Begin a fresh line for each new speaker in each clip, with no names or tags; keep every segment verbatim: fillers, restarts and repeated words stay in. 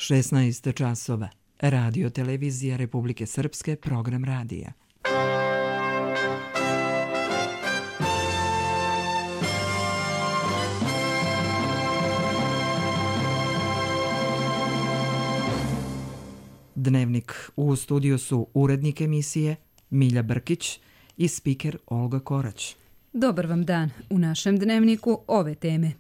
šesnaest časova. Radio Televizija Republike Srpske, program radija. Dnevnik. U studiju su urednik emisije Milja Brkić i spiker Olga Korać.
Dobar vam dan. U našem dnevniku ove teme.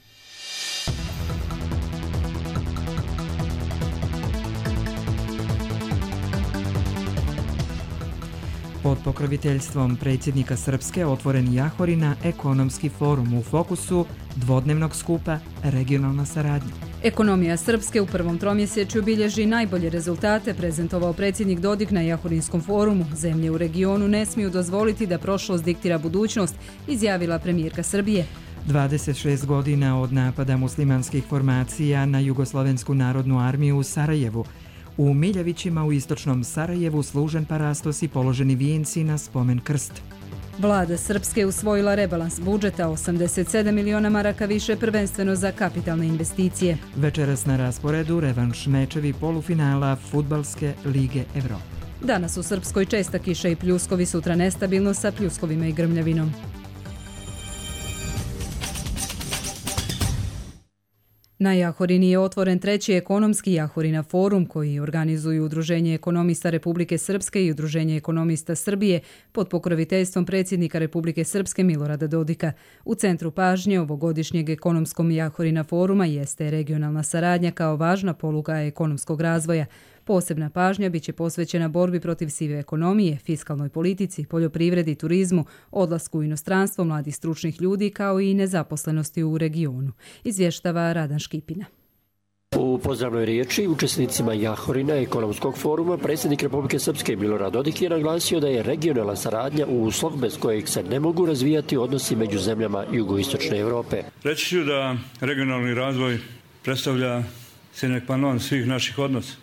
Pod pokroviteljstvom predsjednika Srpske otvoren Jahorina ekonomski forum u fokusu dvodnevnog skupa Regionalna saradnja.
Ekonomija Srpske u prvom tromjesečju bilježi najbolje rezultate, prezentovao predsjednik Dodik na Jahorinskom forumu. Zemlje u regionu ne smiju dozvoliti da prošlost diktira budućnost, izjavila premijerka Srbije.
dvadeset šest godina od napada muslimanskih formacija na Jugoslovensku narodnu armiju u Sarajevu. U Miljevićima u istočnom Sarajevu služen parastos i položeni vijenci na spomen krst.
Vlada Srpske usvojila rebalans budžeta, osamdeset sedam miliona maraka više, prvenstveno za kapitalne investicije.
Večeras na rasporedu revanš mečevi polufinala Fudbalske lige Evrope.
Danas u Srpskoj česta kiša i pljuskovi, sutra nestabilno sa pljuskovima i grmljavinom. Na Jahorini je otvoren treći ekonomski Jahorina forum koji organizuju Udruženje ekonomista Republike Srpske i Udruženje ekonomista Srbije pod pokroviteljstvom predsjednika Republike Srpske Milorada Dodika. U centru pažnje ovogodišnjeg ekonomskog Jahorina foruma jeste regionalna saradnja kao važna poluga ekonomskog razvoja. Posebna pažnja biće posvećena borbi protiv sive ekonomije, fiskalnoj politici, poljoprivredi, turizmu, odlasku u inostranstvo mladih stručnih ljudi kao i nezaposlenosti u regionu, izvještava Radan Škipina.
U pozdravnoj riječi učesnicima Jahorina ekonomskog foruma predsjednik Republike Srpske Milorad Dodik je naglasio da je regionalna saradnja uslov bez kojeg se ne mogu razvijati odnosi među zemljama jugoistočne Evrope.
Reći ću da regionalni razvoj predstavlja sine qua non svih naših odnosa.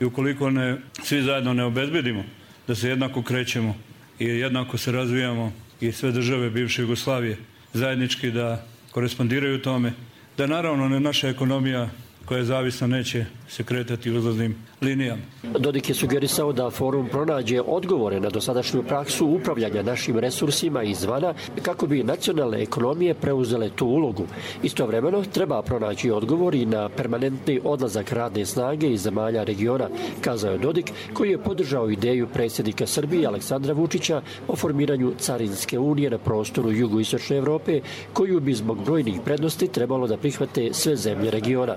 I ukoliko ne, svi zajedno ne obezbedimo da se jednako krećemo i jednako se razvijamo i sve države bivše Jugoslavije zajednički da korespondiraju tome, da naravno ne naša ekonomija koja je zavisna neće se kretati uzlaznim linijama.
Dodik je sugerisao da forum pronađe odgovore na dosadašnju praksu upravljanja našim resursima izvana kako bi nacionalne ekonomije preuzele tu ulogu. Istovremeno treba pronaći odgovor i na permanentni odlazak radne snage iz zemalja regiona, kazao je Dodik, koji je podržao ideju predsjednika Srbije Aleksandra Vučića o formiranju carinske unije na prostoru jugoistočne Evrope, koju bi zbog brojnih prednosti trebalo da prihvate sve zemlje regiona.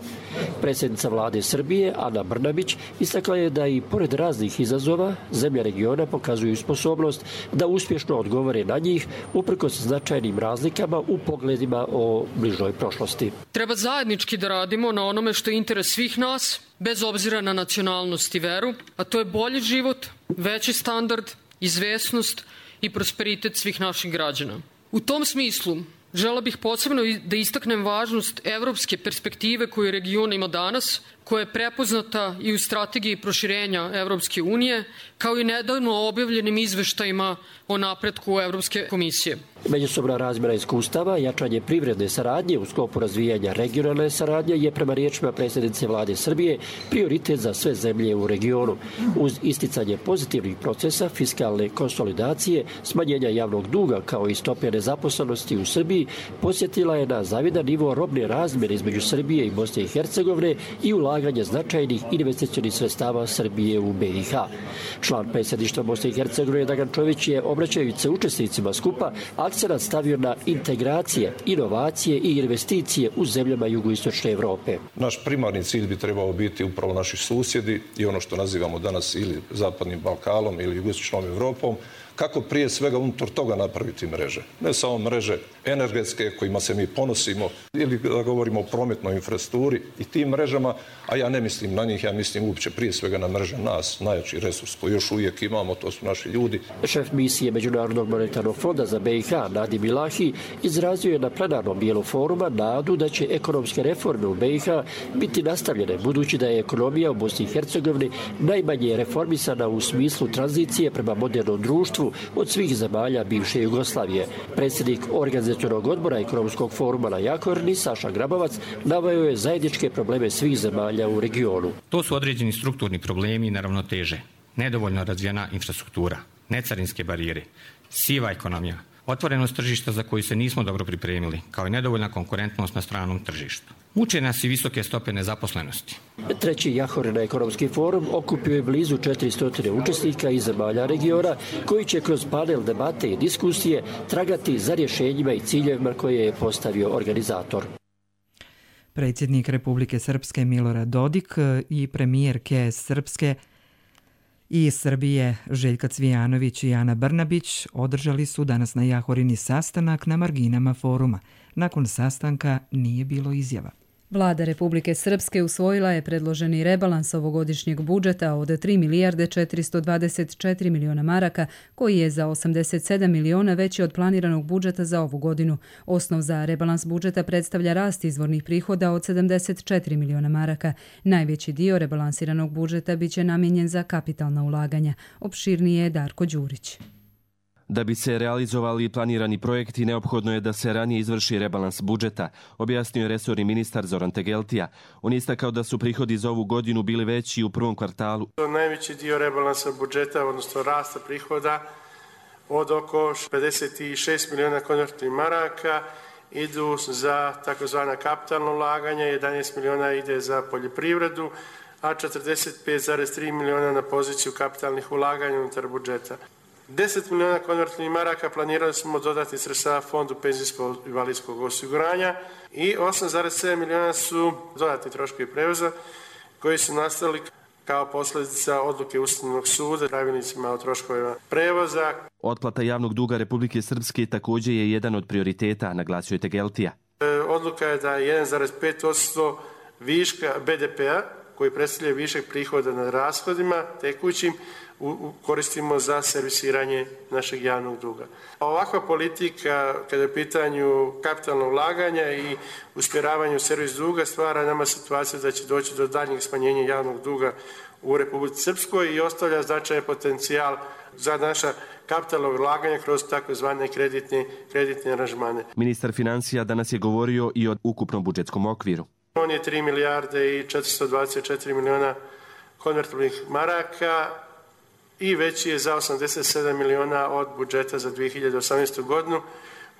Predsjednica vlade Srbije Ana Brnabić istakla je da i pored raznih izazova zemlje regiona pokazuju sposobnost da uspješno odgovore na njih uprkos značajnim razlikama u pogledima o bližoj prošlosti.
Treba zajednički da radimo na onome što je interes svih nas, bez obzira na nacionalnost i veru, a to je bolji život, veći standard, izvesnost i prosperitet svih naših građana. U tom smislu žela bih posebno da istaknem važnost evropske perspektive koju region ima danas, koja je prepoznata i u strategiji proširenja Evropske unije, kao i nedavno objavljenim izveštajima o napretku Evropske komisije.
Međusobna razmjena iskustava, jačanje privredne saradnje u sklopu razvijanja regionalne saradnje je prema riječima predsjednice vlade Srbije prioritet za sve zemlje u regionu. Uz isticanje pozitivnih procesa, fiskalne konsolidacije, smanjenja javnog duga kao i stope nezaposlenosti u Srbiji, posjetila je na zavidan nivo robne razmjene između Srbije i Bosne i Hercegovine i ulaganje značajnih investicionih sredstava Srbije u B i H. Član predsjedništva Bosne i Hercegovine Dragan Čović je, obraćajući se učesnicima skupa, akcenat stavio na integracije, inovacije i investicije u zemljama jugoistočne Evrope.
Naš primarni cilj bi trebao biti upravo naši susjedi i ono što nazivamo danas ili Zapadnim Balkanom ili jugoistočnom Evropom, kako prije svega unutar toga napraviti mreže. Ne samo mreže energetske kojima se mi ponosimo ili da govorimo o prometnoj infrastrukturi i tim mrežama, a ja ne mislim na njih, ja mislim uopće prije svega na mreže nas, najjači resurs koji još uvijek imamo, to su naši ljudi.
Šef misije Međunarodnog monetarnog fonda za B i H, Nadim Ilahi, izrazio je na plenarnom dijelu foruma nadu da će ekonomske reforme u B i H biti nastavljene, budući da je ekonomija u Bosni i Hercegovini najmanje reformisana u smislu tranzicije prema modernom društvu partnerstvu od svih zemalja bivše Jugoslavije. Predsjednik Organizacionog odbora Ekonomskog foruma na Jahorini, Saša Grabovac, naveo je zajedničke probleme svih zemalja u regionu.
To su određeni strukturni problemi i neravnoteže, nedovoljno razvijena infrastruktura, necarinske barijere, siva ekonomija, otvorenost tržišta za koju se nismo dobro pripremili, kao i nedovoljna konkurentnost na stranom tržištu. Muče nas i visoke stope nezaposlenosti.
Treći Jahorina ekonomski forum okupio je blizu četiristo učesnika iz zemalja regiona koji će kroz panel debate i diskusije tragati za rješenjima i ciljevima koje je postavio organizator.
Predsjednik Republike Srpske Milorad Dodik i premijerke Srpske i Srbije Željka Cvijanović i Ana Brnabić održali su danas na Jahorini sastanak na marginama foruma. Nakon sastanka nije bilo izjava.
Vlada Republike Srpske usvojila je predloženi rebalans ovogodišnjeg budžeta od tri milijarde četiristo dvadeset četiri miliona maraka, koji je za osamdeset sedam miliona veći od planiranog budžeta za ovu godinu. Osnov za rebalans budžeta predstavlja rast izvornih prihoda od sedamdeset četiri miliona maraka. Najveći dio rebalansiranog budžeta biće namijenjen za kapitalna ulaganja. Opširnije je Darko Đurić.
Da bi se realizovali planirani projekti, neophodno je da se ranije izvrši rebalans budžeta, objasnio je resorni ministar Zoran Tegeltija. On je istakao da su prihodi za ovu godinu bili veći u prvom kvartalu.
Najveći dio rebalansa budžeta, odnosno rasta prihoda, od oko pedeset šest miliona konvertnih maraka, idu za takozvana kapitalna ulaganja, jedanaest miliona ide za poljoprivredu, a četrdeset pet zarez tri miliona na poziciju kapitalnih ulaganja unutar budžeta. deset miliona konvertnih maraka planirali smo dodati sredstava Fondu penzijskog i invalidskog osiguranja i osam zarez sedam miliona su dodatni troškovi prevoza koji su nastali kao posljedica odluke Ustavnog suda pravilnicima o troškovima prevoza.
Otplata javnog duga Republike Srpske također je jedan od prioriteta, naglasio je Tegeltija.
Odluka je da jedan zarez pet posto viška be de pe a koji predstavlja višak prihoda nad rashodima tekućim koristimo za servisiranje našeg javnog duga. Ovakva politika, kada je u pitanju kapitalnog ulaganja i usmjeravanja u servis duga, stvara nama situaciju da će doći do daljnjeg smanjenja javnog duga u Republici Srpskoj i ostavlja značajan potencijal za naša kapitalna ulaganja kroz takozvane kreditne, kreditne aranžmane.
Ministar financija danas je govorio i o ukupnom budžetskom okviru.
On je tri milijarde i četiristo dvadeset četiri miliona konvertibilnih maraka i veći je za osamdeset sedam miliona od budžeta za dvije hiljade osamnaestu. godinu,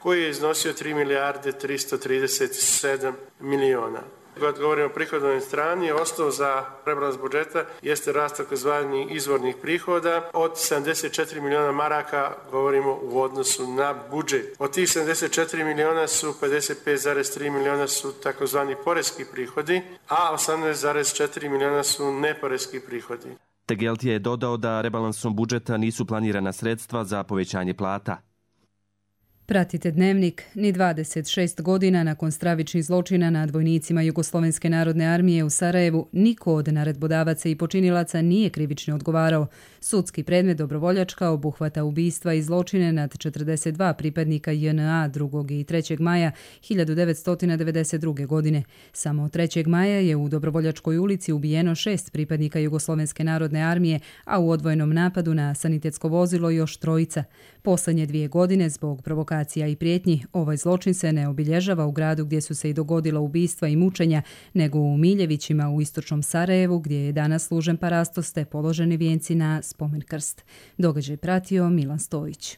koji je iznosio tri milijarde tristo trideset sedam miliona. Kad govorimo o prihodovnoj strani, osnov za rebalans budžeta jeste rast takozvanih izvornih prihoda. Od sedamdeset četiri miliona maraka govorimo u odnosu na budžet. Od tih sedamdeset četiri miliona su pedeset pet zarez tri miliona su takozvani poreski prihodi, a osamnaest zarez četiri miliona su neporeski prihodi.
Tegeltija je dodao da rebalansom budžeta nisu planirana sredstva za povećanje plata.
Pratite Dnevnik. Ni dvadeset šest godina nakon stravičnih zločina nad vojnicima Jugoslovenske narodne armije u Sarajevu, niko od naredbodavaca i počinilaca nije krivično odgovarao. Sudski predmet Dobrovoljačka obuhvata ubistva i zločine nad četrdeset dva pripadnika je en a drugog i trećeg maja hiljadu devetsto devedeset druge. godine. Samo trećeg maja je u Dobrovoljačkoj ulici ubijeno šest pripadnika Jugoslovenske narodne armije, a u odvojenom napadu na sanitetsko vozilo još trojica. Poslednje dvije godine, zbog provokacija i prijetnji, ovaj zločin se ne obilježava u gradu gdje su se i dogodila ubistva i mučenja, nego u Miljevićima u istočnom Sarajevu, gdje je danas služen parastos te položeni vijenci na spomen krst. Događaj pratio Milan Stojić.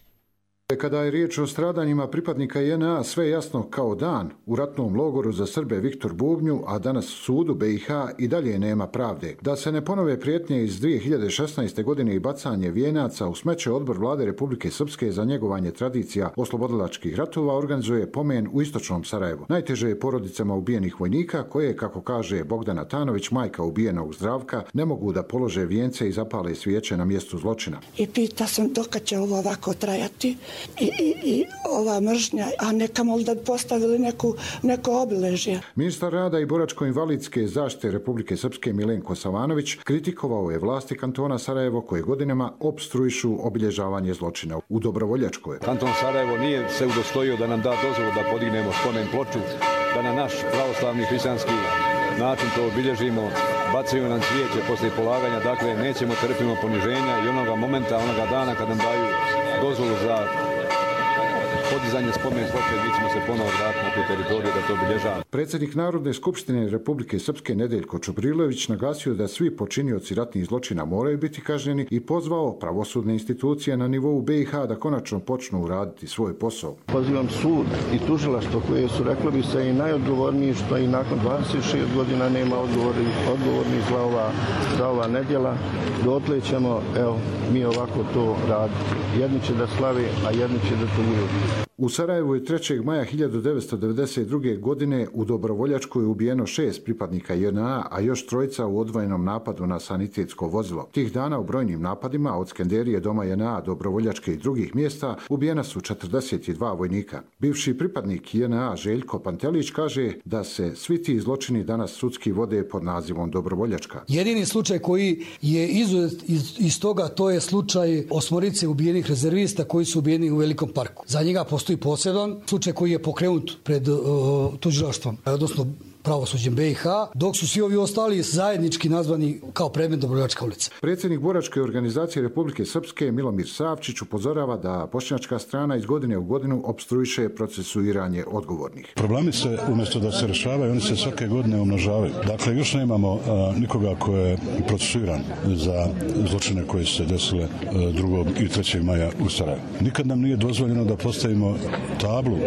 Kada je riječ o stradanjima pripadnika je en a, sve jasno kao dan. U ratnom logoru za Srbe Viktor Bubnju, a danas sudu be i ha i dalje nema pravde. Da se ne ponove prijetnje iz dvije hiljade šesnaeste. godine i bacanje vijenaca u smeće, odbor Vlade Republike Srpske za njegovanje tradicija oslobodilačkih ratova organizuje pomen u istočnom Sarajevu. Najteže je porodicama ubijenih vojnika koje, kako kaže Bogdana Tanović, majka ubijenog Zdravka, ne mogu da polože vijence i zapale svijeće na mjestu zločina.
I pita sam dokad će ovo ovako trajati. I, i, i ova mržnja, a neka možda postavili neku, neko obilježje.
Ministar rada i boračko-invalidske zaštite Republike Srpske Milenko Savanović kritikovao je vlasti kantona Sarajevo koje godinama opstruišu obilježavanje zločina u Dobrovoljačkoj.
Kanton Sarajevo nije se udostojio da nam da dozvolu da podignemo spomen ploču, da na naš pravoslavni hrišćanski način to obilježimo. Bacaju nam cvijeće poslije polaganja, dakle nećemo trpimo poniženja i onoga momenta, onoga dana kad nam daju dozvolu za podizanje spomen ploče, mi ćemo se ponovo vratiti na tu teritoriju da to obilježavamo.
Predsjednik Narodne skupštine Republike Srpske Nedeljko Čubrilović naglasio da svi počinioci ratnih zločina moraju biti kažnjeni i pozvao pravosudne institucije na nivou B i H da konačno počnu raditi svoj posao.
Pozivam sud i tužilaštvo koje su, reklo bi se, i najodgovorniji što i nakon dvadeset šest godina nema odgovornih odgovorni za ova, za ova nedjela. Dotle ćemo, evo, mi ovako to raditi. Jedni će da slavi, a jedni će da tuguju.
U Sarajevu je trećeg maja hiljadu devetsto devedeset druge. godine u Dobrovoljačkoj je ubijeno šest pripadnika J N A, a još trojica u odvojenom napadu na sanitetsko vozilo. Tih dana u brojnim napadima od Skenderije, Doma J N A, Dobrovoljačke i drugih mjesta ubijena su četrdeset dva vojnika. Bivši pripadnik J N A Željko Pantelić kaže da se svi ti zločini danas sudski vode pod nazivom Dobrovoljačka.
Jedini slučaj koji je izuzet iz, iz toga, to je slučaj osmorice ubijenih rezervista koji su ubijeni u Velikom parku. Za njega postoji poseban slučaj koji je pokrenut pred uh, tužilaštvom, odnosno pravosuđem B i H, dok su svi ovi ostali zajednički nazvani kao predmet Dobrovoljačka ulica.
Predsjednik Boračke organizacije Republike Srpske Milomir Savčić upozorava da bošnjačka strana iz godine u godinu opstruiše procesuiranje odgovornih.
Problemi se umjesto da se rješavaju, oni se svake godine umnožavaju. Dakle, još nemamo a, nikoga ko je procesuiran za zločine koje su se desile drugog i trećeg maja u Sarajevu. Nikad nam nije dozvoljeno da postavimo tablu,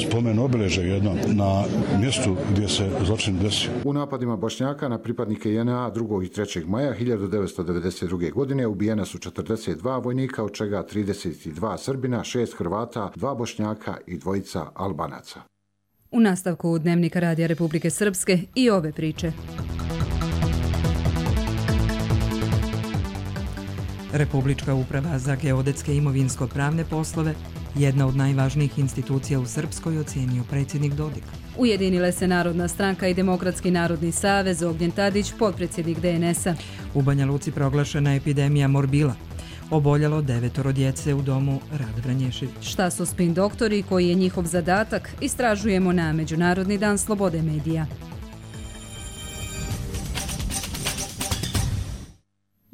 spomen obilježje jedno na mjestu gdje se zločin desio.
U napadima Bošnjaka na pripadnike J N A drugog i trećeg maja hiljadu devetsto devedeset druge. godine ubijena su četrdeset dva vojnika, od čega trideset dva Srbina, šest Hrvata, dva Bošnjaka i dvojica Albanaca.
U nastavku Dnevnika Radija Republike Srpske i ove priče.
Republička uprava za geodetske imovinsko-pravne poslove, jedna od najvažnijih institucija u Srpskoj, ocijenio predsjednik Dodik.
Ujedinile se Narodna stranka i Demokratski narodni savez, Ognjen Tadić, potpredsjednik D N S-a.
U Banja Luci proglašena epidemija morbila. Oboljelo devetoro djece u domu Rade Vranješević.
Šta su spin doktori i koji je njihov zadatak, istražujemo na Međunarodni dan slobode medija.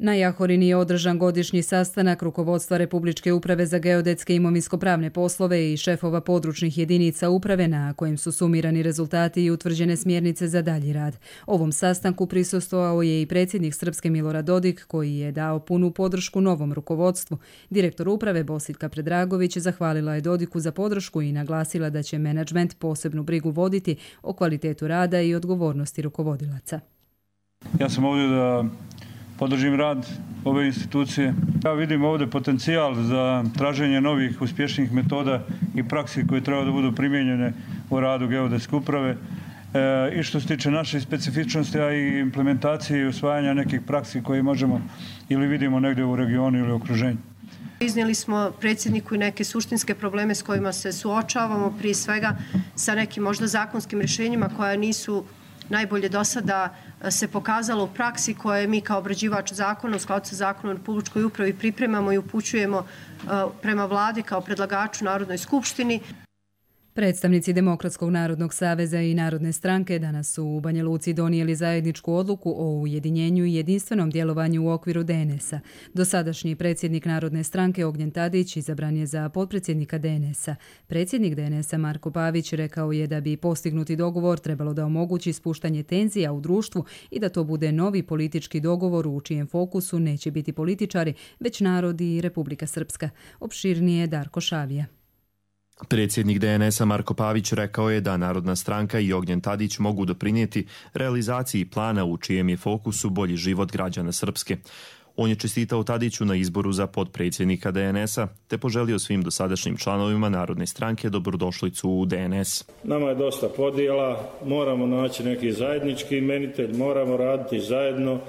Na Jahorini je održan godišnji sastanak rukovodstva Republičke uprave za geodetske imovinsko-pravne poslove i šefova područnih jedinica uprave, na kojem su sumirani rezultati i utvrđene smjernice za dalji rad. Ovom sastanku prisustvovao je i predsjednik Srpske Milorad Dodik, koji je dao punu podršku novom rukovodstvu. Direktor uprave Bosiljka Predragović zahvalila je Dodiku za podršku i naglasila da će menadžment posebnu brigu voditi o kvalitetu rada i odgovornosti rukovodilaca.
Ja sam ovdje da podržim rad ove institucije. Ja vidim ovdje potencijal za traženje novih uspješnih metoda i praksi koje treba da budu primijenjene u radu geodetske uprave. E, I što se tiče naše specifičnosti, a i implementacije i usvajanja nekih praksi koje možemo ili vidimo negdje u regionu ili u okruženju.
Iznijeli smo predsjedniku i neke suštinske probleme s kojima se suočavamo, prije svega sa nekim možda zakonskim rješenjima koja nisu najbolje do sada se pokazalo u praksi, koje mi kao obrađivač zakona u skladu sa zakonom o Republičkoj upravi pripremamo i upućujemo prema vladi kao predlagaču Narodnoj skupštini.
Predstavnici Demokratskog narodnog saveza i Narodne stranke danas su u Banja Luci donijeli zajedničku odluku o ujedinjenju i jedinstvenom djelovanju u okviru D N S-a. Dosadašnji predsjednik Narodne stranke Ognjen Tadić izabran je za potpredsjednika D N S-a. Predsjednik D N S-a Marko Pavić rekao je da bi postignuti dogovor trebalo da omogući spuštanje tenzija u društvu i da to bude novi politički dogovor u čijem fokusu neće biti političari, već narod i Republika Srpska. Opširnije Darko Šavija.
Predsjednik D N S-a Marko Pavić rekao je da Narodna stranka i Ognjen Tadić mogu doprinijeti realizaciji plana u čijem je fokusu bolji život građana Srpske. On je čestitao Tadiću na izboru za potpredsjednika D N S-a te poželio svim dosadašnjim članovima Narodne stranke dobrodošlicu u D N S.
Nama je dosta podjela, moramo naći neki zajednički imenitelj, moramo raditi zajedno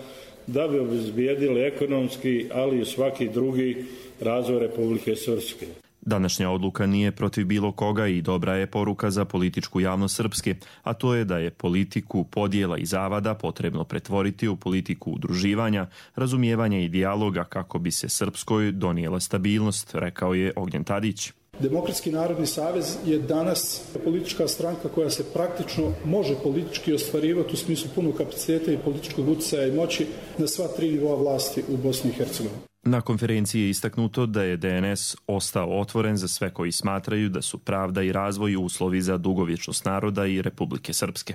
da bi obezbijedili ekonomski, ali i svaki drugi razvoj Republike Srpske.
Današnja odluka nije protiv bilo koga i dobra je poruka za političku javnost Srpske, a to je da je politiku podjela i zavada potrebno pretvoriti u politiku udruživanja, razumijevanja i dijaloga kako bi se Srpskoj donijela stabilnost, rekao je Ognjen Tadić.
Demokratski narodni savez je danas politička stranka koja se praktično može politički ostvarivati u smislu punog kapaciteta i političkog utjecaja i moći na sva tri nivoa vlasti u Bosni i Hercegovini.
Na konferenciji je istaknuto da je D N S ostao otvoren za sve koji smatraju da su pravda i razvoj uslovi za dugovječnost naroda i Republike Srpske.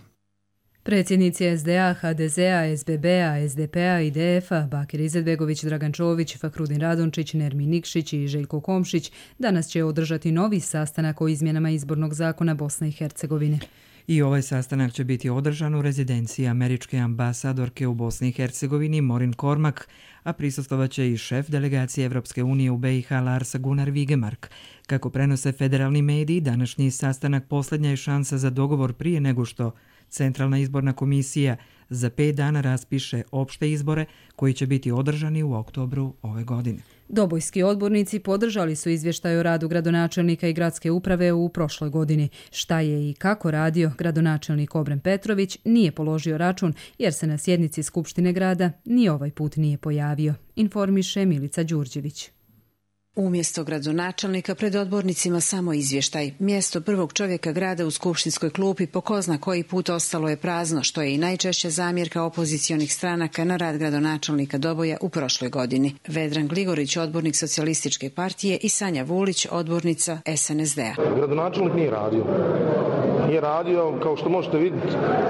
Predsjednici S D A, H D Z A, S B B-a, S D P-a i D F-a, Bakir Izetbegović, Dragan Čović, Fahrudin Radončić, Nermin Nikšić i Željko Komšić danas će održati novi sastanak o izmjenama izbornog zakona Bosne i Hercegovine.
I ovaj sastanak će biti održan u rezidenciji američke ambasadorke u Bosni i Hercegovini Morin Kormak, a prisustvovaće i šef delegacije Evropske unije u B i H Lars Gunnar Vigemark. Kako prenose federalni mediji, današnji sastanak posljednja je šansa za dogovor prije nego što Centralna izborna komisija za pet dana raspiše opšte izbore koji će biti održani u oktobru ove godine.
Dobojski odbornici podržali su izvještaj o radu gradonačelnika i gradske uprave u prošloj godini. Šta je i kako radio gradonačelnik Obren Petrović nije položio račun jer se na sjednici Skupštine grada ni ovaj put nije pojavio, informiše Milica Đurđević.
Umjesto gradonačelnika pred odbornicima samo izvještaj. Mjesto prvog čovjeka grada u skupštinskoj klupi po ko zna koji put ostalo je prazno, što je i najčešća zamjerka opozicionih stranaka na rad gradonačelnika Doboja u prošloj godini. Vedran Gligorić, odbornik Socijalističke partije, i Sanja Vulić, odbornica S N S D-a.
Gradonačelnik nije radio. Nije radio, kao što možete vidjeti,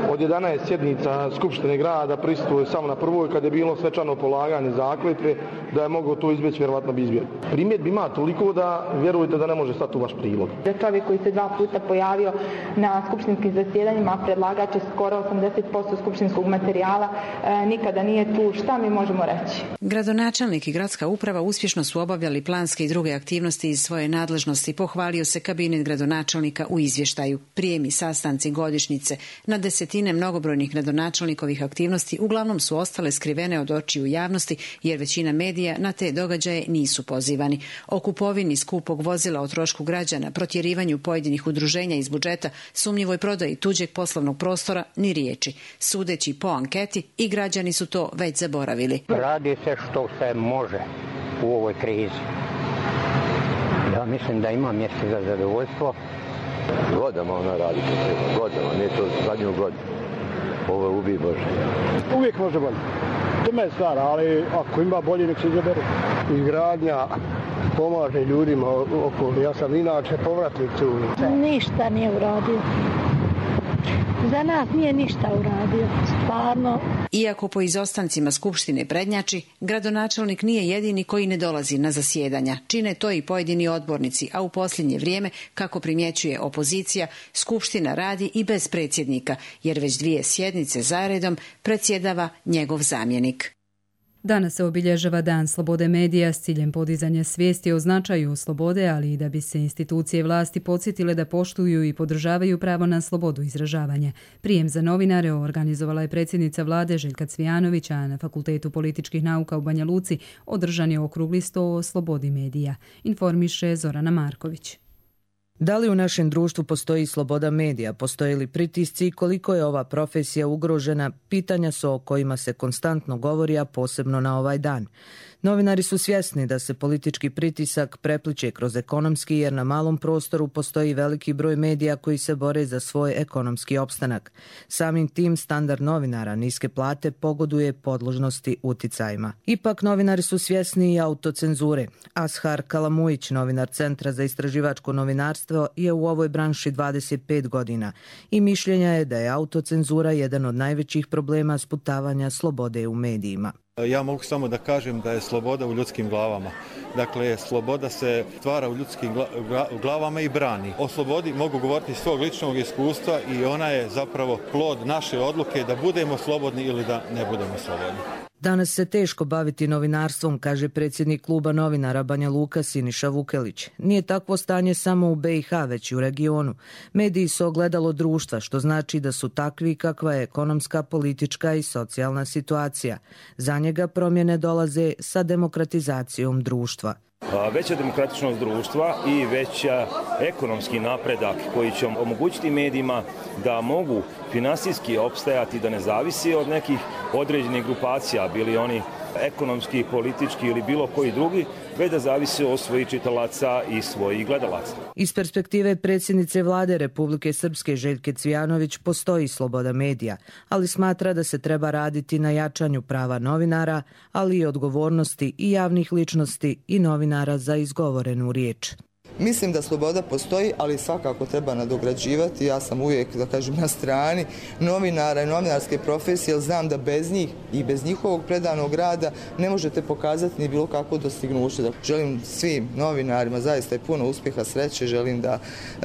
od jedanaest sjednica Skupštine grada prisustvuje samo na prvoj, kad je bilo svečano polaganje zakletve, da je mogao to izbjeći, vjerovatno bi izbjegao. Primjedbi ima toliko da vjerujete da ne može stati u vaš prilog.
Čovjek koji se dva puta pojavio na skupštinskim zasjedanjima, predlagač je skoro osamdeset posto skupštinskog materijala, e, nikada nije tu. Šta mi možemo reći?
Gradonačelnik i gradska uprava uspješno su obavljali planske i druge aktivnosti iz svoje nadležnosti, pohvalio se kabinet gradonačelnika u izvještaju. Prijemi, sastanci, godišnjice, na desetine mnogobrojnih gradonačelnikovih aktivnosti uglavnom su ostale skrivene od očiju javnosti jer većina medija na te događaje nisu pozivani. O kupovini skupog vozila o trošku građana, protjerivanju pojedinih udruženja iz budžeta, sumnjivoj prodaji tuđeg poslovnog prostora ni riječi. Sudeći po anketi, i građani su to već zaboravili.
Radi se što se može u ovoj krizi. Ja mislim da ima mjesta za zadovoljstvo.
Godama ona radi to treba, godama, nije to zadnju godinu. Ovo je ubij Bože.
Uvijek može bolje. To je stvar, ali ako ima bolje, nek se izabere. Izgradnja pomaže ljudima okolo. Ja sam inače povratnik tu.
Ništa nije uradio. Za nas nije ništa uradio, stvarno.
Iako po izostancima Skupštine prednjači, gradonačelnik nije jedini koji ne dolazi na zasjedanja. Čine to i pojedini odbornici, a u posljednje vrijeme, kako primjećuje opozicija, Skupština radi i bez predsjednika, jer već dvije sjednice zaredom predsjedava njegov zamjenik.
Danas se obilježava Dan slobode medija s ciljem podizanja svijesti o značaju slobode, ali i da bi se institucije vlasti podsjetile da poštuju i podržavaju pravo na slobodu izražavanja. Prijem za novinare organizovala je predsjednica vlade Željka Cvijanović, a na Fakultetu političkih nauka u Banja Luci održan je okrugli sto o slobodi medija, informiše Zorana Marković.
Da li u našem društvu postoji sloboda medija, postoje li pritisci i koliko je ova profesija ugrožena, pitanja su o kojima se konstantno govori, a posebno na ovaj dan. Novinari su svjesni da se politički pritisak prepliče kroz ekonomski, jer na malom prostoru postoji veliki broj medija koji se bore za svoj ekonomski opstanak. Samim tim standard novinara, niske plate, pogoduje podložnosti uticajima. Ipak novinari su svjesni i autocenzure. Ashar Kalamujić, novinar Centra za istraživačko novinarstvo, je u ovoj branši dvadeset pet godina i mišljenja je da je autocenzura jedan od najvećih problema sputavanja slobode u medijima.
Ja mogu samo da kažem da je sloboda u ljudskim glavama. Dakle, sloboda se stvara u ljudskim glavama i brani. O slobodi mogu govoriti iz svog ličnog iskustva i ona je zapravo plod naše odluke da budemo slobodni ili da ne budemo slobodni.
Danas se teško baviti novinarstvom, kaže predsjednik kluba novinara Banja Luka Siniša Vukelić. Nije takvo stanje samo u B i H, već i u regionu. Mediji su ogledalo društva, što znači da su takvi kakva je ekonomska, politička i socijalna situacija. Za njega promjene dolaze sa demokratizacijom društva.
Veća demokratičnost društva i veća ekonomski napredak koji će omogućiti medijima da mogu finansijski opstajati, da ne zavisi od nekih određenih grupacija, bili oni ekonomski, politički ili bilo koji drugi, već da zavisi od svojih čitalaca i svojih gledalaca.
Iz perspektive predsjednice vlade Republike Srpske Željke Cvijanović postoji sloboda medija, ali smatra da se treba raditi na jačanju prava novinara, ali i odgovornosti i javnih ličnosti i novinara za izgovorenu riječ.
Mislim da sloboda postoji, ali svakako treba nadograđivati. Ja sam uvijek, da kažem, na strani novinara i novinarske profesije, jer znam da bez njih i bez njihovog predanog rada ne možete pokazati ni bilo kakvo dostignuće. Želim svim novinarima zaista i puno uspjeha, sreće, želim da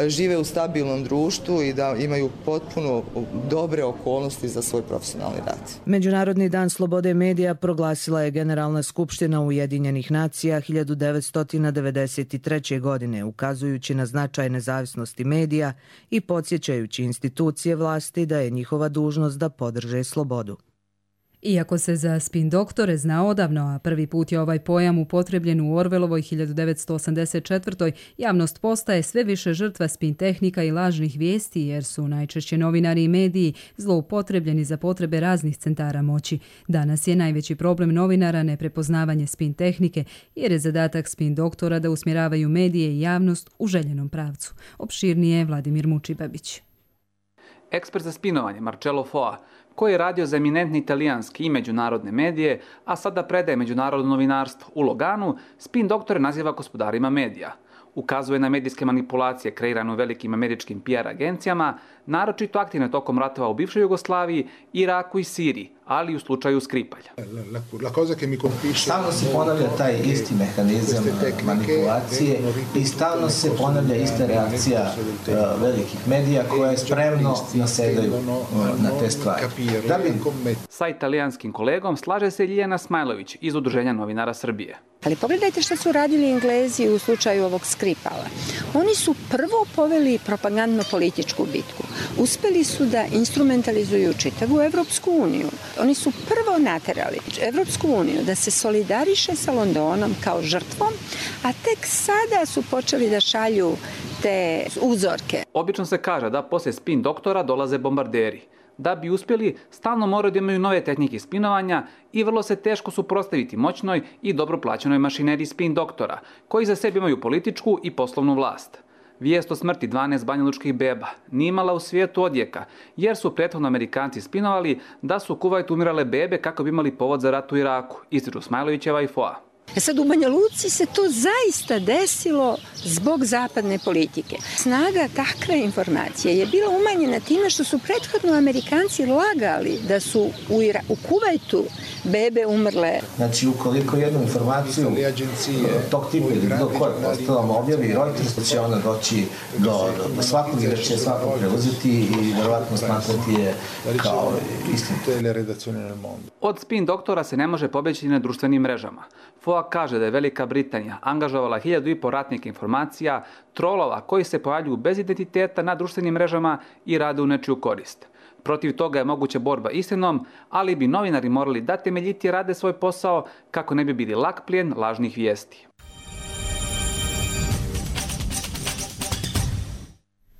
žive u stabilnom društvu i da imaju potpuno dobre okolnosti za svoj profesionalni rad.
Međunarodni dan slobode medija proglasila je Generalna skupština Ujedinjenih nacija hiljadu devetsto devedeset treće. godine, ukazujući na značaj nezavisnosti medija i podsjećajući institucije vlasti da je njihova dužnost da podrže slobodu.
Iako se za spin doktore zna odavno, a prvi put je ovaj pojam upotrebljen u Orwelovoj hiljadu devetsto osamdeset četvrtoj. javnost postaje sve više žrtva spin tehnika i lažnih vijesti, jer su najčešće novinari i mediji zloupotrebljeni za potrebe raznih centara moći. Danas je najveći problem novinara neprepoznavanje spin tehnike, jer je zadatak spin doktora da usmjeravaju medije i javnost u željenom pravcu. Opširnije Vladimir Mučibabić.
Ekspert za spinovanje Marcello Foa, koji je radio za eminentne italijanske i međunarodne medije, a sada predaje međunarodno novinarstvo u Loganu, spin doktore naziva gospodarima medija. Ukazuje na medijske manipulacije kreirane u velikim američkim P R agencijama, naročito aktivne tokom ratova u bivšoj Jugoslaviji, Iraku i Siriji, ali i u slučaju Skripalja.
Stalno se ponavlja taj isti mehanizam manipulacije i stalno se ponavlja ista reakcija velikih medija koje spremno nasedaju na te stvari. Da bi...
Sa italijanskim kolegom slaže se Ljiljana Smajlović iz Udruženja novinara Srbije.
Ali pogledajte što su radili Englezi u slučaju ovog Skripala. Oni su prvo poveli propagandno-političku bitku. Uspeli su da instrumentalizuju čitavu Evropsku uniju. Oni su prvo naterali Evropsku uniju da se solidariše sa Londonom kao žrtvom, a tek sada su počeli da šalju te uzorke.
Obično se kaže da poslije spin doktora dolaze bombarderi. Da bi uspjeli, stalno moraju da imaju nove tehnike spinovanja i vrlo se teško suprotstaviti moćnoj i dobro plaćenoj mašineriji spin doktora, koji za sebi imaju političku i poslovnu vlast. Vijest o smrti dvanaest banjalučkih beba nije imala u svijetu odjeka, jer su prethodno Amerikanci spinovali da su u Kuvajtu umirale bebe kako bi imali povod za rat u Iraku, ističu Smajlovićeva i Foa.
E sad u Banja Luci se to zaista desilo zbog zapadne politike. Snaga takve informacije je bila umanjena time što su prethodno Amerikanci lagali da su u, Ira, u Kuvajtu bebe umrle.
Znači, ukoliko jednu informaciju tog tipa ili bilo koje postavom objavi Reuters, će ona doći do, do, do svakog i da će svakog preuzeti i vjerovatno smatrati je kao istinu.
Od spin doktora se ne može pobjeći na društvenim mrežama. Foa kaže da je Velika Britanija angažovala hiljadu i po ratnih informacija, trolova koji se pojavljuju bez identiteta na društvenim mrežama i rade u nečiju korist. Protiv toga je moguća borba istinom, ali bi novinari morali da temeljitije rade svoj posao kako ne bi bili lak plijen lažnih vijesti.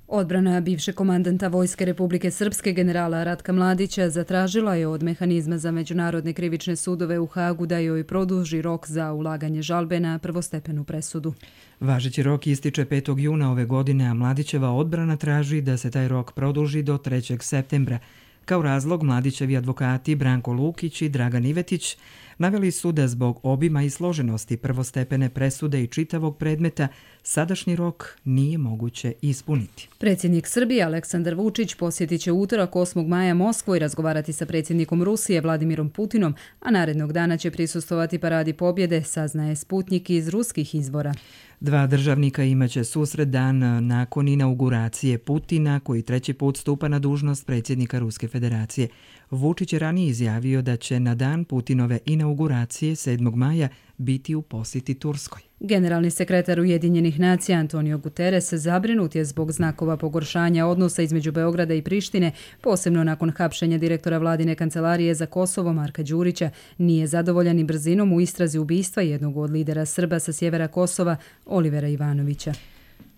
Odbrana bivšeg komandanta Vojske Republike Srpske generala Ratka Mladića zatražila je od mehanizma za međunarodne krivične sudove u Hagu da joj produži rok za ulaganje žalbe na prvostepenu presudu.
Važeći rok ističe petog juna ove godine, a Mladićeva odbrana traži da se taj rok produži do trećeg septembra. Kao razlog Mladićevi advokati Branko Lukić i Dragan Ivetić naveli su da zbog obima i složenosti prvostepene presude i čitavog predmeta sadašnji rok nije moguće ispuniti.
Predsjednik Srbije Aleksandar Vučić posjetit će utorak osmog maja Moskvu i razgovarati sa predsjednikom Rusije Vladimirom Putinom, a narednog dana će prisustvovati paradi pobjede, saznaje Sputnik iz ruskih izvora.
Dva državnika imaće susret dan nakon inauguracije Putina, koji treći put stupa na dužnost predsjednika Ruske federacije. Vučić je ranije izjavio da će na dan Putinove inauguracije sedmog maja biti u posjeti Turskoj.
Generalni sekretar Ujedinjenih nacija Antonio Guterres zabrinut je zbog znakova pogoršanja odnosa između Beograda i Prištine, posebno nakon hapšenja direktora vladine kancelarije za Kosovo Marka Đurića. Nije zadovoljan i brzinom u istrazi ubistva jednog od lidera Srba sa sjevera Kosova, Olivera Ivanovića.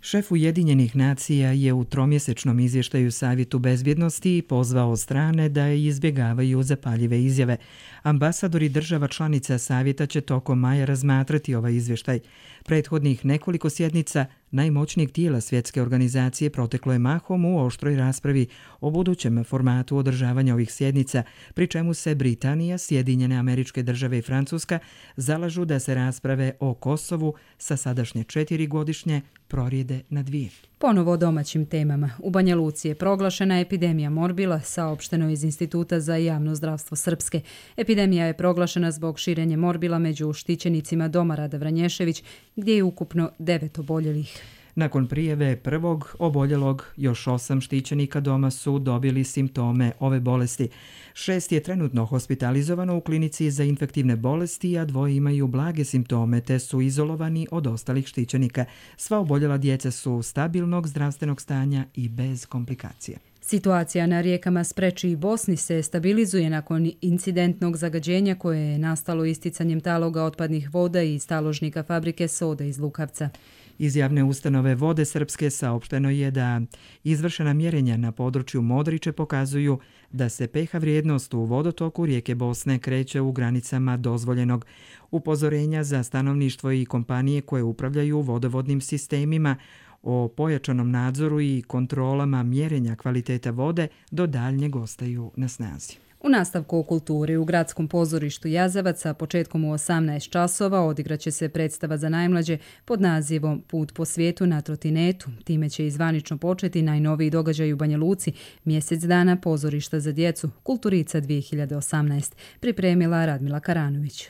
Šef Ujedinjenih nacija je u tromjesečnom izvještaju Savjetu bezbjednosti pozvao strane da izbjegavaju zapaljive izjave. Ambasadori država članica Savjeta će tokom maja razmatrati ovaj izvještaj. Prethodnih nekoliko sjednica najmoćnijeg tijela svjetske organizacije proteklo je mahom u oštroj raspravi o budućem formatu održavanja ovih sjednica, pri čemu se Britanija, Sjedinjene Američke Države i Francuska zalažu da se rasprave o Kosovu sa sadašnje četiri godišnje prorijede na dvije.
Ponovo o domaćim temama. U Banja Luci je proglašena epidemija morbila, saopšteno iz Instituta za javno zdravstvo Srpske. Epidemija je proglašena zbog širenja morbila među štićenicima doma Rada Vranješević, gdje je ukupno devet oboljelih.
Nakon prijave prvog oboljelog, još osam štićenika doma su dobili simptome ove bolesti. Šest je trenutno hospitalizovano u klinici za infektivne bolesti, a dvoje imaju blage simptome te su izolovani od ostalih štićenika. Sva oboljela djeca su stabilnog zdravstvenog stanja i bez komplikacija.
Situacija na rijekama Spreči i Bosni se stabilizuje nakon incidentnog zagađenja koje je nastalo isticanjem taloga otpadnih voda iz taložnika fabrike Soda iz Lukavca.
Iz javne ustanove Vode Srpske saopšteno je da izvršena mjerenja na području Modriče pokazuju da se pH vrijednost u vodotoku rijeke Bosne kreće u granicama dozvoljenog. Upozorenja za stanovništvo i kompanije koje upravljaju vodovodnim sistemima o pojačanom nadzoru i kontrolama mjerenja kvaliteta vode do daljnjeg ostaju na snazi.
U nastavku o kulturi u Gradskom pozorištu Jazavac, a početkom u osamnaest časova odigraće se predstava za najmlađe pod nazivom Put po svijetu na trotinetu. Time će izvanično početi najnoviji događaj u Banja Luci, mjesec dana pozorišta za djecu, Kulturica dvije hiljade osamnaest, pripremila Radmila Karanović.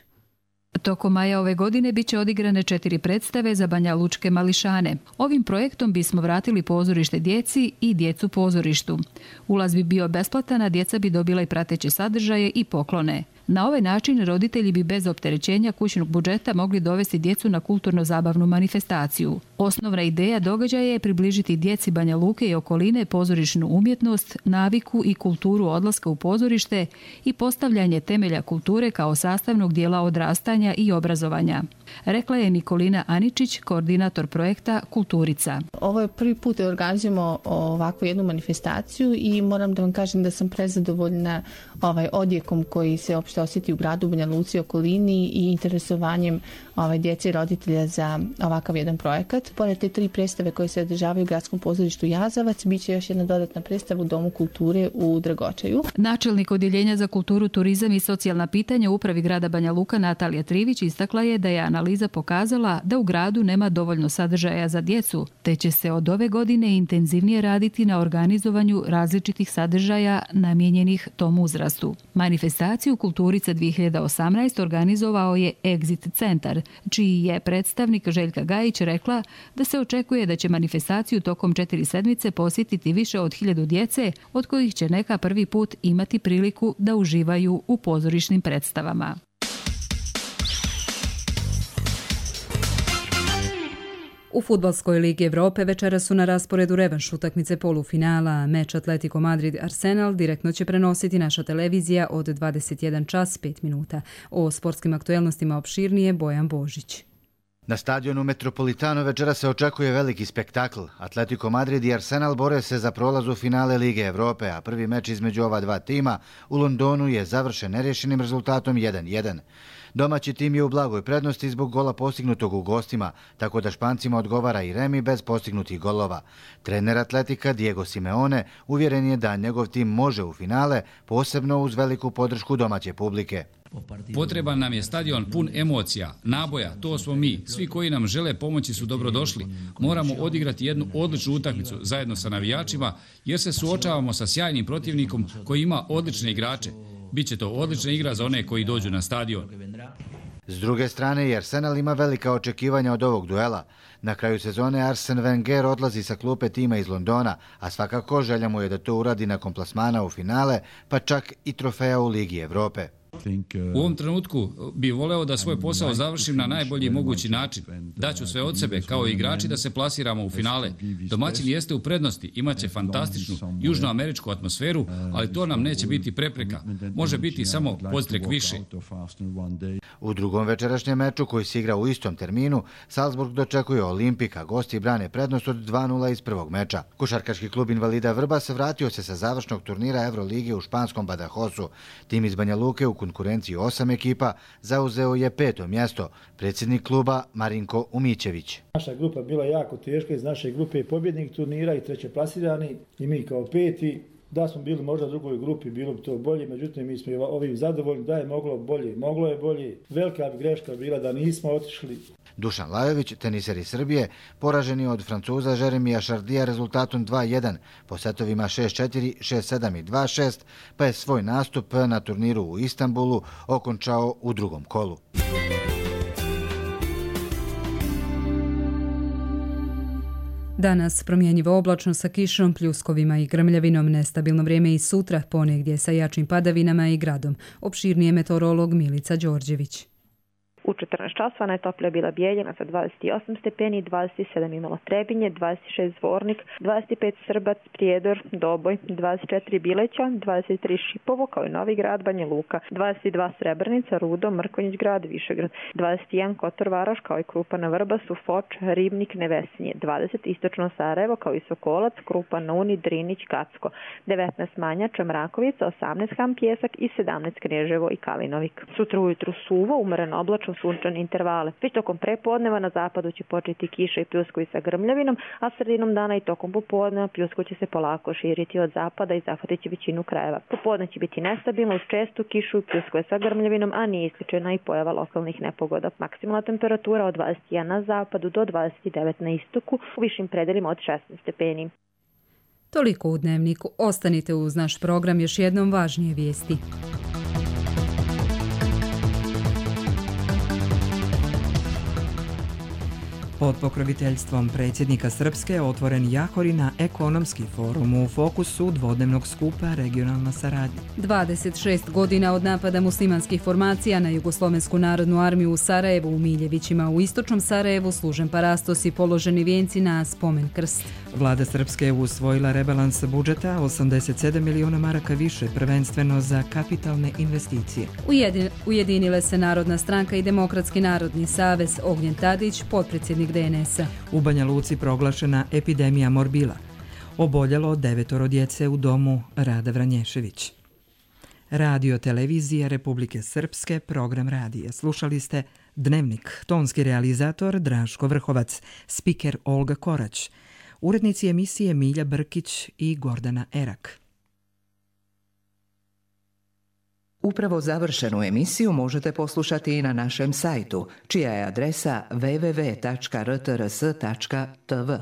Tokom maja ove godine bit će odigrane četiri predstave za Banja Lučke mališane. Ovim projektom bismo vratili pozorište djeci i djecu pozorištu. Ulaz bi bio besplatan, a djeca bi dobila i prateće sadržaje i poklone. Na ovaj način roditelji bi bez opterećenja kućnog budžeta mogli dovesti djecu na kulturno-zabavnu manifestaciju. Osnovna ideja događaja je približiti djeci Banja Luke i okoline pozorišnu umjetnost, naviku i kulturu odlaska u pozorište i postavljanje temelja kulture kao sastavnog dijela odrastanja i obrazovanja. Rekla je Nikolina Aničić, koordinator projekta Kulturica.
Ovo je prvi put da organizujemo ovakvu jednu manifestaciju i moram da vam kažem da sam prezadovoljna ovaj odjekom koji se opšte osjeti u gradu Banja Luci i okolini i interesovanjem ovaj, djece i roditelja za ovakav jedan projekat. Pored te tri predstave koje se održavaju u Gradskom pozorištu Jazavac, bit će još jedna dodatna predstava u Domu kulture u Dragočaju.
Načelnik Odjeljenja za kulturu, turizam i socijalna pitanja u upravi grada Banja Luka Natalija Trivić istakla je da je analiza pokazala da u gradu nema dovoljno sadržaja za djecu, te će se od ove godine intenzivnije raditi na organizovanju različitih sadržaja namijenjenih tom uzrastu. Manifestaciju Kulturica dvije hiljade osamnaest organizovao je Exit centar, čiji je predstavnik Željka Gajić rekla da se očekuje da će manifestaciju tokom četiri sedmice posjetiti više od hiljadu djece, od kojih će neka prvi put imati priliku da uživaju u pozorišnim predstavama.
U Fudbalskoj ligi Evrope večera su na rasporedu revanš utakmice polufinala. Meč Atletico Madrid-Arsenal direktno će prenositi naša televizija od dvadeset jedan čas pet minuta. O sportskim aktuelnostima opširnije Bojan Božić.
Na stadionu Metropolitano večera se očekuje veliki spektakl. Atletico Madrid i Arsenal bore se za prolaz u finale Lige Evrope, a prvi meč između ova dva tima u Londonu je završen nerješenim rezultatom jedan jedan. Domaći tim je u blagoj prednosti zbog gola postignutog u gostima, tako da Špancima odgovara i remi bez postignutih golova. Trener Atletika Diego Simeone uvjeren je da njegov tim može u finale, posebno uz veliku podršku domaće publike.
Potreban nam je stadion pun emocija, naboja, to smo mi. Svi koji nam žele pomoći su dobrodošli. Moramo odigrati jednu odličnu utakmicu zajedno sa navijačima, jer se suočavamo sa sjajnim protivnikom koji ima odlične igrače. Biće to odlična igra za one koji dođu na stadion.
S druge strane, i Arsenal ima velika očekivanja od ovog duela. Na kraju sezone Arsene Wenger odlazi sa klupe tima iz Londona, a svakako želja mu je da to uradi nakon plasmana u finale, pa čak i trofeja u Ligi Evrope.
U ovom trenutku bi voleo da svoj posao završim na najbolji mogući način. Daću sve od sebe kao igrači da se plasiramo u finale. Domaćin jeste u prednosti, imaće fantastičnu južnoameričku atmosferu, ali to nam neće biti prepreka. Može biti samo podstrek više.
U drugom večerašnjem meču koji se igra u istom terminu, Salzburg dočekuje Olimpika, gosti brane prednost od dva nula iz prvog meča. Košarkaški klub Invalida Vrbas vratio se sa završnog turnira Evrolige u španskom Badajosu. Tim iz Banja Luke u konkurenciji osam ekipa zauzeo je peto mjesto. Predsjednik kluba Marinko Umićević.
Naša grupa bila jako teška, iz naše grupe je pobjednik turnira i treće plasirani i mi kao peti. Da smo bili možda u drugoj grupi, bilo bi to bolje, međutim mi smo ovim zadovoljni da je moglo bolje. Moglo je bolje, velika bi greška bila da nismo otišli.
Dušan Lajović, teniser iz Srbije, poražen je od Francuza Jeremija Šardija rezultatom dva jedan, po setovima šest četiri, šest sedam i dva šest, pa je svoj nastup na turniru u Istanbulu okončao u drugom kolu.
Danas promjenjivo oblačno sa kišom, pljuskovima i grmljavinom, nestabilno vrijeme i sutra, ponegdje sa jačim padavinama i gradom. Opširnije meteorolog Milica Đorđević.
U četrnaest časova najtoplija bila Bijeljina sa dvadeset osam stepeni, dvadeset sedam imalo Trebinje, dvadeset šest Zvornik, dvadeset pet Srbac, Prijedor, Doboj, dvadeset četiri Bileća, dvadeset tri Šipovo kao i Novi Grad, Banja Luka, dvadeset dva Srebrenica, Rudo, Mrkonjić Grad, Višegrad, dvadeset jedan Kotor Varoš kao i Krupa na Vrbasu, Foč, Ribnik, Nevesinje, dvadeset Istočno Sarajevo kao i Sokolac, Krupa na Uni, Drinić, Kacko, devetnaest Manjača, Mrakovica, osamnaest Ham Pjesak i sedamnaest Knježevo i Kalinovik. Sutra ujutru suvo, umereno oblačno, sunčane intervale. Već tokom prepodneva na zapadu će početi kiša i pljuskovi sa grmljavinom, a sredinom dana i tokom popodneva pljusko će se polako širiti od zapada i zahvatit će većinu krajeva. Popodne će biti nestabilno uz čestu kišu i pljuskove sa grmljavinom, a nije isključena i pojava lokalnih nepogoda. Maksimalna temperatura od dvadeset jedan na zapadu do dvadeset devet na istoku, u višim predelima od šesnaest stepeni.
Toliko u Dnevniku. Ostanite uz naš program, još jednom važnije vijesti.
Pod pokroviteljstvom predsjednika Srpske otvoren Jahorina ekonomski forum u fokusu dvodnevnog skupa regionalna saradnja.
dvadeset šest godina od napada muslimanskih formacija na Jugoslovensku narodnu armiju u Sarajevu, u Miljevićima u istočnom Sarajevu služen parastos i položeni vijenci na spomen krst.
Vlada Srpske je usvojila rebalans budžeta osamdeset sedam milijuna maraka više, prvenstveno za kapitalne investicije.
Ujedin, ujedinile se Narodna stranka i Demokratski narodni savez. Ognjen Tadić, potpredsjednik D N S-a.
U Banja Luci proglašena epidemija morbila. Oboljelo devetoro djece u domu Rada Vranješević. Radio Televizija Republike Srpske, program radija. Slušali ste Dnevnik, tonski realizator Draško Vrhovac, spiker Olga Korać, urednici emisije Milja Brkić i Gordana Erak.
Upravo završenu emisiju možete poslušati i na našem sajtu, čija je adresa w w w tačka r t r s tačka t v.